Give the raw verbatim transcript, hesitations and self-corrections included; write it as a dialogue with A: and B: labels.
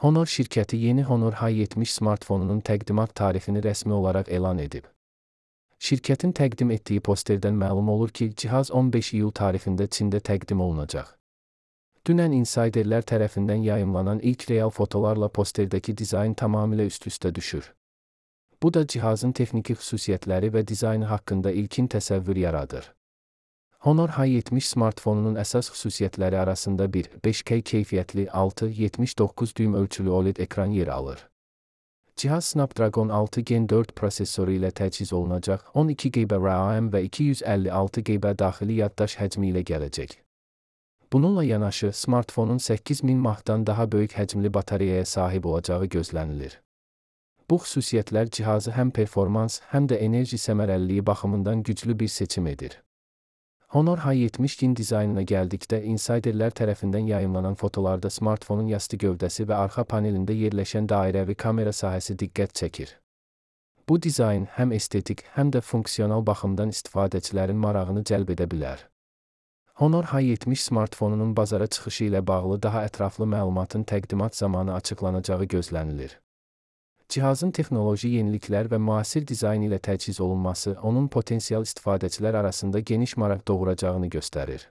A: Honor şirkəti yeni Honor H yetmiş smartfonunun təqdimat tarixini rəsmi olaraq elan edib. Şirkətin təqdim etdiyi posterdən məlum olur ki, cihaz on beş iyul tarixində Çində təqdim olunacaq. Dünən insiderlər tərəfindən yayımlanan ilk real fotolarla posterdəki dizayn tamamilə üst-üstə düşür. Bu da cihazın texniki xüsusiyyətləri və dizaynı haqqında ilkin təsəvvür yaradır. Honor H yetmiş smartfonunun əsas xüsusiyyətləri arasında bir beş K keyfiyyətli altı nöqtə yetmiş doqquz düym ölçülü O L E D ekran yer alır. Cihaz Snapdragon altı Gen dörd prosesoru ilə təchiz olunacaq, on iki giqabayt RAM və iki yüz əlli altı giqabayt daxili yaddaş həcmi ilə gələcək. Bununla yanaşı, smartfonun səkkiz min mAh-dan daha böyük həcmli batareyaya sahib olacağı gözlənilir. Bu xüsusiyyətlər cihazı həm performans, həm də enerji səmərəliliyi baxımından güclü bir seçim edir. Honor H yetmiş Gen dizaynına gəldikdə, insiderlər tərəfindən yayımlanan fotolarda smartfonun yastı gövdəsi və arxa panelində yerləşən dairəvi kamera sahəsi diqqət çəkir. Bu dizayn həm estetik, həm də funksional baxımdan istifadəçilərin marağını cəlb edə bilər. Honor H yetmiş smartfonunun bazara çıxışı ilə bağlı daha ətraflı məlumatın təqdimat zamanı açıqlanacağı gözlənilir. Cihazın texnoloji yeniliklər və müasir dizayn ilə təchiz olunması onun potensial istifadəçilər arasında geniş maraq doğuracağını göstərir.